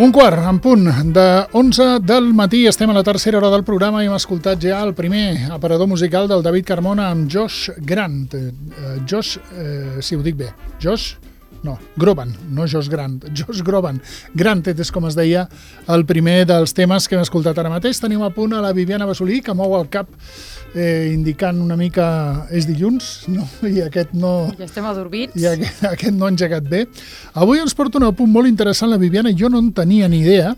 Un quart, en punt, de 11 del matí, estem a la tercera hora del programa i hem escoltat ja el primer aparador musical del David Carmona amb Josh Grant. Si ho dic bé, Groban, no Josh Grant, Josh Groban. Granted és com es deia el primer dels temes que hem escoltat ara mateix. Tenim a punt a la Viviana Basolí, que mou el cap indicant una mica és dilluns, no? I aquest no... Ja estem adormits. I aquest no ha engegat bé. Avui ens porta un punt molt interessant la Viviana. Jo no en tenia ni idea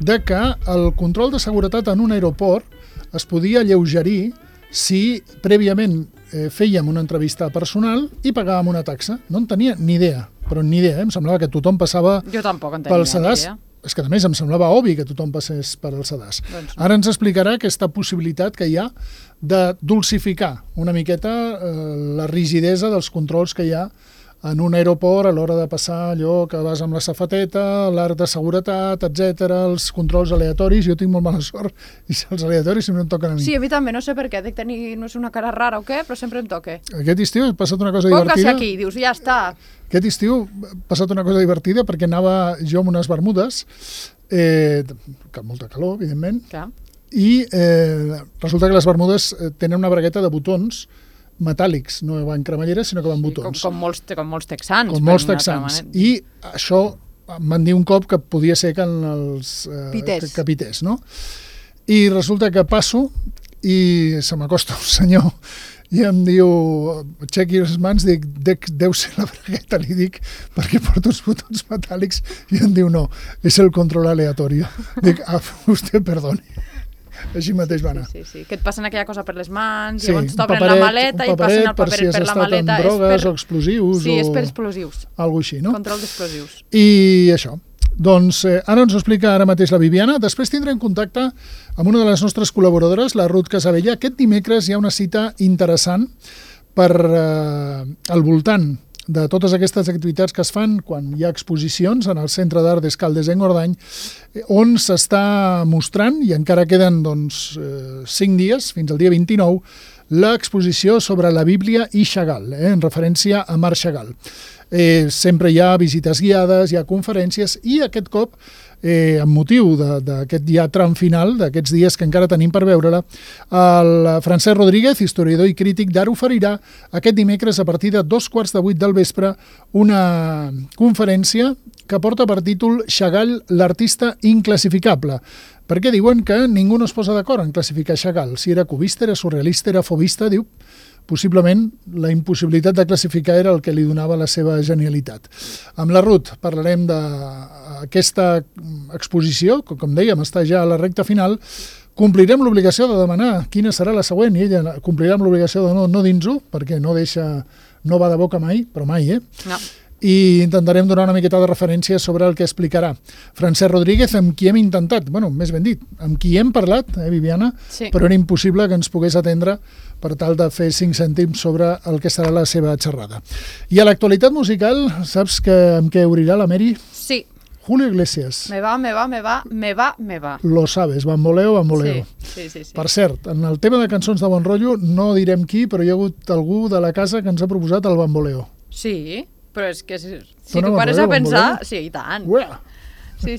de que el control de seguretat en un aeroport es podia alleugerir si prèviament fèiem una entrevista personal i pagàvem una taxa. No en tenia ni idea, però ni idea. Em semblava que tothom passava pel sedàs. És que a més em semblava obvi que tothom passés per al sedàs. Doncs no. Ara ens explicarà aquesta possibilitat que hi ha de dulcificar una miqueta la rigidesa dels controls que hi ha en un aeroport a l'hora de passar allò que vas amb la safateta, l'arc de seguretat, etc, els controls aleatoris. Jo tinc molt mala sort i els aleatoris sempre em toquen a mi. Sí, a mi també, no sé per què, dic tenir, no sé, una cara rara o què, però sempre em toca. Aquest estiu he passat una cosa divertida. Póngase aquí, dius, ja està. Aquest estiu he passat una cosa divertida perquè anava jo amb unes bermudes, que molta calor, evidentment, Clar. i resulta que les bermudes tenen una bragueta de botons metàl·lics, no van cremalleres, sinó que van botons. Com molts texans. Com molts texans. I això em van dir un cop que podia ser que els pités, no? I resulta que passo i se m'acosta un senyor i em diu, aixequi les mans, dic, deu ser la bragueta, li dic, perquè porto uns botons metàl·lics, i em diu, no, és el control aleatori. Dic, usted perdoni. Així mateix va anar. Sí. Que et passen aquella cosa per les mans, llavors t'obren la maleta i passen el paperet per la maleta. Per si has estat amb drogues o explosius. Sí, és per explosius. Algo així, no? Control d'explosius. I això. Doncs ara ens ho explica ara mateix la Viviana. Després tindrem contacte amb una de les nostres col·laboradores, la Ruth Casabella. Aquest dimecres hi ha una cita interessant per al voltant de totes aquestes activitats que es fan quan hi ha exposicions en el Centre d'Art d'Escaldes en Gordany, on s'està mostrant, i encara queden 5 dies, fins al dia 29, l'exposició sobre la Bíblia i Chagall, en referència a Marc Chagall. Sempre hi ha visites guiades, hi ha conferències, i aquest cop, amb motiu d'aquest ja tram final, d'aquests dies que encara tenim per veure-la, el Francesc Rodríguez, historiador i crític d'art, oferirà aquest dimecres a partir de 7:15 del vespre una conferència que porta per títol Chagall, l'artista inclassificable, perquè diuen que ningú no es posa d'acord en classificar Chagall. Si era cubista, era surrealista, era fovista, diu, possiblement la impossibilitat de classificar era el que li donava la seva genialitat. Amb la Ruth parlarem d'aquesta exposició, que com dèiem està ja a la recta final. Complirem l'obligació de demanar quina serà la següent i ella complirà amb l'obligació de no dins-ho, perquè no va de boca mai, però mai, No. I intentarem donar una miqueta de referència sobre el que explicarà Francesc Rodríguez, amb qui hem intentat, més ben dit, amb qui hem parlat, Viviana, sí. Però era impossible que ens pogués atendre per tal de fer 5 cèntims sobre el que serà la seva xerrada. I a l'actualitat musical, saps amb què obrirà la Mary? Sí. Julio Iglesias. Me va. Lo sabes, bamboleo. Sí. Per cert, en el tema de cançons de bon rotllo, no direm qui, però hi ha hagut algú de la casa que ens ha proposat el bamboleo. Sí, però és que si Dona tu pares a pensar... bamboleo? Sí, i tant. Ué! Sí.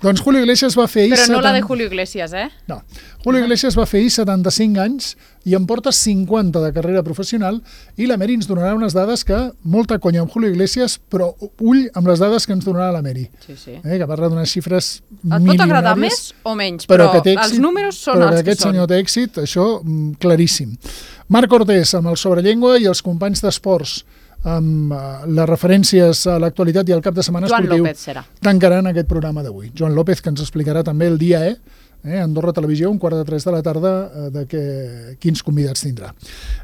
Doncs Julio Iglesias va fer ahir... Però no la de Julio Iglesias, No. Julio Iglesias va fer ahir 75 anys i en porta 50 de carrera professional, i la Mary ens donarà unes dades que, molta conya amb Julio Iglesias, però ull amb les dades que ens donarà la Mary. Sí. Que parla d'unes xifres milionàries. Et pot agradar més o menys, però els números són els que són. Però aquest senyor té èxit, això claríssim. Marc Cortés, amb el Sobrellengua, i els companys d'esports, amb les referències a l'actualitat i al cap de setmana esportiu, Joan López serà. Tancaran aquest programa d'avui. Joan López, que ens explicarà també el dia Andorra Televisió, 2:45 de la tarda, quins convidats tindrà.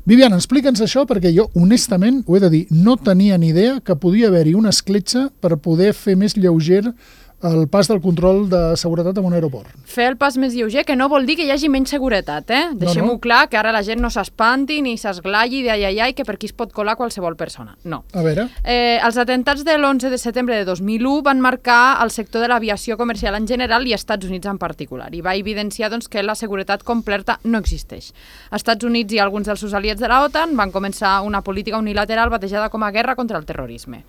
Viviana, explica'ns això, perquè jo, honestament, ho he de dir, no tenia ni idea que podia haver-hi una escletxa per poder fer més lleuger el pas del control de seguretat en un aeroport. Fer el pas més lleuger, que no vol dir que hi hagi menys seguretat, Deixem-ho clar, que ara la gent no s'espanti ni s'esglai d'ai, que per aquí es pot colar qualsevol persona. No. A veure. Els atentats de l'11 de setembre de 2001 van marcar el sector de l'aviació comercial en general i Estats Units en particular, i va evidenciar que la seguretat completa no existeix. Els Estats Units i alguns dels seus aliats de la OTAN van començar una política unilateral batejada com a guerra contra el terrorisme.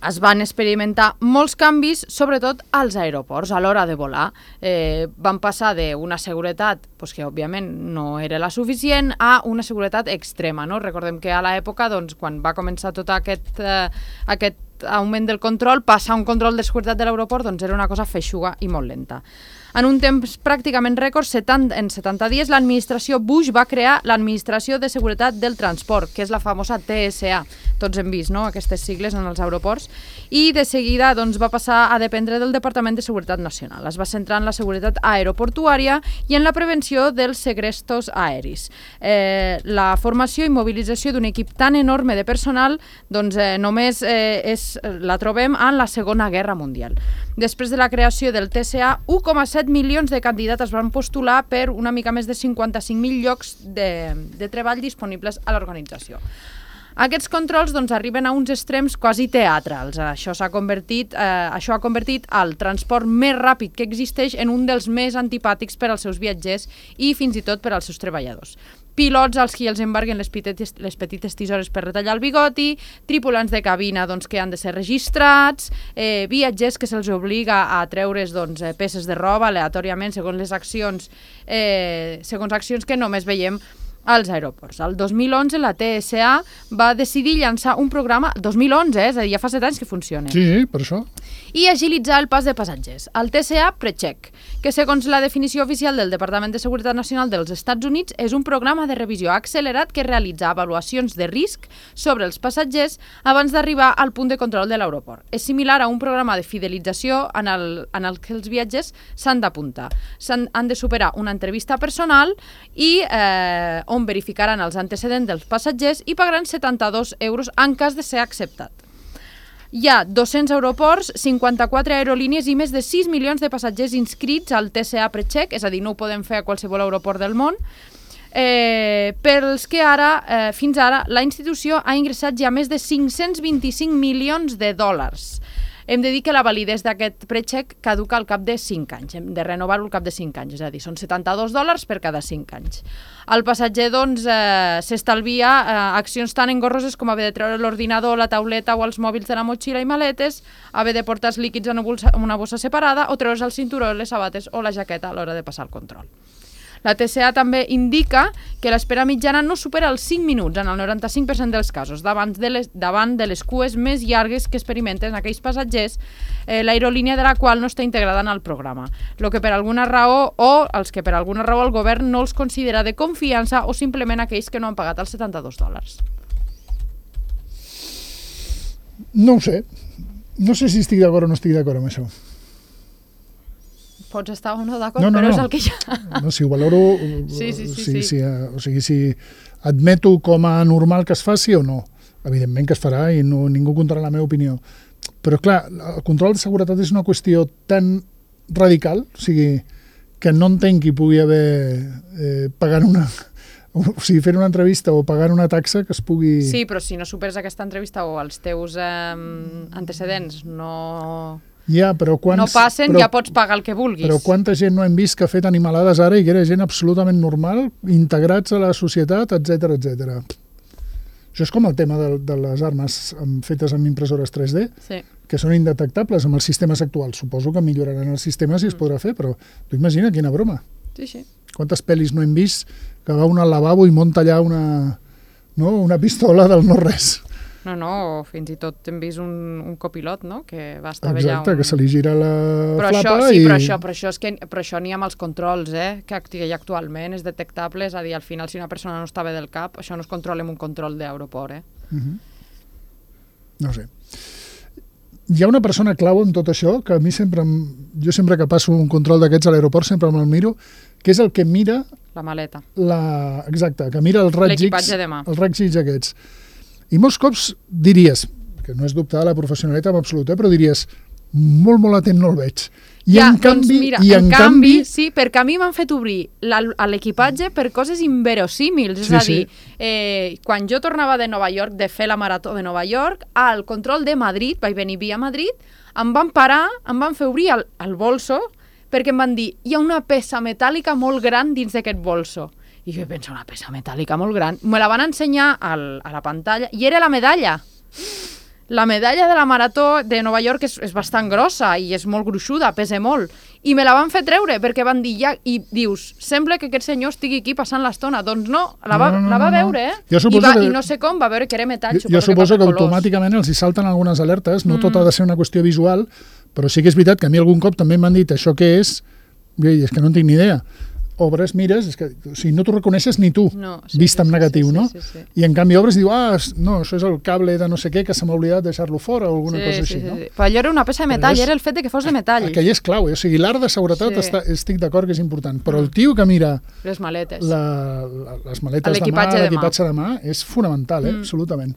es van experimentar molts canvis, sobretot als aeroports, a l'hora de volar. Van passar d'una seguretat que, òbviament, no era la suficient, a una seguretat extrema. Recordem que a l'època, quan va començar tot aquest augment del control, passar un control de seguretat de l'aeroport era una cosa feixuga i molt lenta. En un temps pràcticament rècord, en 70 dies, l'administració Bush va crear l'Administració de Seguretat del Transport, que és la famosa TSA. Tots hem vist aquestes sigles en els aeroports. I de seguida va passar a dependre del Departament de Seguretat Nacional. Es va centrar en la seguretat aeroportuària i en la prevenció dels segrestos aeris. La formació i mobilització d'un equip tan enorme de personal només la trobem en la Segona Guerra Mundial. Després de la creació del TSA, 1,7 milions de candidats es van postular per una mica més de 55.000 llocs de treball disponibles a l'organització. Aquests controls arriben a uns extrems quasi teatrals. Això ha convertit el transport més ràpid que existeix en un dels més antipàtics per als seus viatgers i fins i tot per als seus treballadors. Pilots als qui els embarguen les petites tisores per retallar el bigoti, tripulants de cabina que han de ser registrats, viatgers que se'ls obliga a treure's peces de roba aleatòriament segons accions que només veiem als aeroports. El 2011 la TSA va decidir llançar un programa, 2011, és a dir, ja fa 7 anys que funciona. Sí, per això. I agilitzar el pas de passatgers. El TSA PreCheck, que segons la definició oficial del Departament de Seguretat Nacional dels Estats Units és un programa de revisió accelerat que realitza avaluacions de risc sobre els passatgers abans d'arribar al punt de control de l'aeroport. És similar a un programa de fidelització en el que els viatgers s'han d'apuntar. Han de superar una entrevista personal i on verificaran els antecedents dels passatgers i pagaran 72 euros en cas de ser acceptat. Hi ha 200 aeroports, 54 aerolínies i més de 6 milions de passatgers inscrits al TSA PreCheck, és a dir, no ho podem fer a qualsevol aeroport del món, pels que fins ara la institució ha ingressat ja més de 525 milions de dòlars. Hem de dir que la validesa d'aquest PreCheck caduca al cap de 5 anys. Hem de renovar-ho al cap de 5 anys, és a dir, són 72 dòlars per cada 5 anys. El passatger, s'estalvia accions tan engorroses com haver de treure l'ordinador, la tauleta o els mòbils de la motxilla i maletes, haver de portar els líquids en una bossa separada o treure's el cinturó, les sabates o la jaqueta a l'hora de passar el control. La TSA també indica que l'espera mitjana no supera els 5 minuts en el 95% dels casos, davant de les cues més llargues que experimenten aquells passatgers, l'aerolínia de la qual no està integrada en el programa, els que per alguna raó el govern no els considera de confiança o simplement aquells que no han pagat els 72 dòlars. No ho sé. No sé si estic d'acord o no estic d'acord amb això. Pots estar o no d'acord, però és el que hi ha. No, si ho valoro... Sí. O sigui, si admeto com a normal que es faci o no. Evidentment que es farà i ningú contarà la meva opinió. Però, clar, el control de seguretat és una qüestió tan radical, o sigui, que no entenc que hi pugui haver pagant fent una entrevista o pagant una taxa que es pugui... Sí, però si no superes aquesta entrevista o els teus antecedents no passen, ja pots pagar el que vulguis. Però quanta gent no hem vist que ha fet animalades ara i que era gent absolutament normal, integrats a la societat, etc. Això és com el tema de les armes fetes amb impressores 3D, que són indetectables amb els sistemes actuals. Suposo que milloraran els sistemes i es podrà fer, però tu imagina quina broma. Sí. Quantes pel·lis no hem vist que va un al lavabo i munta allà una pistola del no-res. No, fins i tot hem vist un copilot, no?, que va estar allà... Exacte, que se li gira la flapa i... Però això n'hi ha amb els controls, que hi ha actualment, és detectable, és a dir, al final, si una persona no està bé del cap, això no es controla amb un control d'aeroport, No sé. Hi ha una persona clau en tot això, que a mi jo sempre que passo un control d'aquests a l'aeroport sempre me'l miro, que és el que mira... La maleta. Exacte, que mira els raigs X. L'equipatge de mà. Els raigs X aquests. I molts cops diries, que no és dubtar la professionalitat en absolut, però diries, molt atent no el veig. En canvi, sí, perquè a mi m'han fet obrir l'equipatge per coses inverosímils. És a dir, quan jo tornava de Nova York, de fer la marató de Nova York, al control de Madrid, vaig venir via Madrid, em van parar, em van fer obrir el bolso, perquè em van dir, hi ha una peça metàl·lica molt gran dins d'aquest bolso. I jo penso, una peça metàl·lica molt gran. Me la van ensenyar a la pantalla i era la medalla. la medalla de la marató de Nova York és bastant grossa i és molt gruixuda, pesa molt. I me la van fer treure perquè van dir ja, i dius, sembla que aquest senyor estigui aquí passant l'estona. Doncs no, la va veure, I no sé com, va veure que era metall. Jo suposo que automàticament els hi salten algunes alertes, no tot ha de ser una qüestió visual, però sí que és veritat que a mi algun cop també m'han dit això què és, i és que no en tinc ni idea. Obres, mires, és que no t'ho reconeixes ni tu, vist en negatiu, no? I en canvi obres i diu, no, això és el cable de no sé què que se m'ha oblidat deixar-lo fora o alguna cosa així, no? Però allò era una peça de metall, era el fet que fos de metall. Aquell és clau, o sigui, l'art de seguretat estic d'acord que és important, però el tio que mira les maletes, les maletes de mà, l'equipatge de mà, és fonamental, absolutament.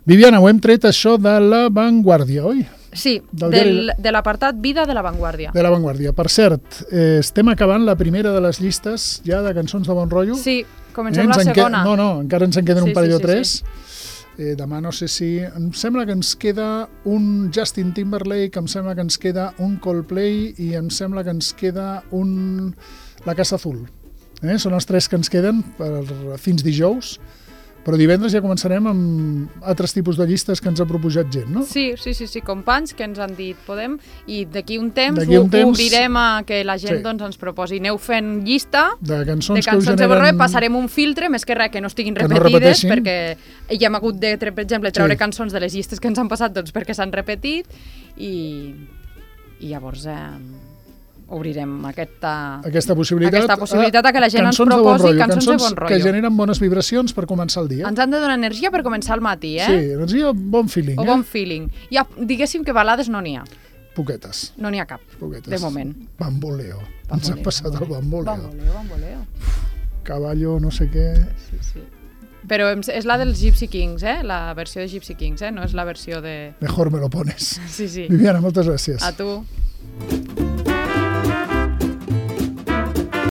Viviana, ho hem tret això de La Vanguardia, oi? Sí, de l'apartat Vida de La Vanguardia. De La Vanguardia. Per cert, estem acabant la primera de les llistes ja de cançons de bon rotllo. Sí, comencem la segona. No, encara ens en queden un parell o tres. Demà no sé si... Em sembla que ens queda un Justin Timberlake, em sembla que ens queda un Coldplay i em sembla que ens queda un La Casa Azul. Són els tres que ens queden fins dijous. Però divendres ja començarem amb altres tipus de llistes que ens ha proposat gent, no? Sí, companys que ens han dit podem, i d'aquí un temps obrirem a que la gent ens proposi. Aneu fent llista de cançons de bon rotllo, passarem un filtre, més que res que no estiguin repetides, perquè ja hem hagut de, per exemple, treure cançons de les llistes que ens han passat perquè s'han repetit, i llavors obrirem aquesta possibilitat a que la gent ens proposi cançons de bon rotllo. Que generen bones vibracions per començar el dia. Ens han de donar energia per començar el matí, Sí, energia, bon feeling. O bon feeling. Ja, diguéssim que balades no n'hi ha. Poquetes. No n'hi ha cap, de moment. Bamboleo. Ens ha passat el bamboleo. Bamboleo. Caballo, no sé què... Sí. Però és la dels Gypsy Kings, la versió de Gypsy Kings, no és la versió de... Mejor me lo pones. Sí. Viviana, moltes gràcies. A tu.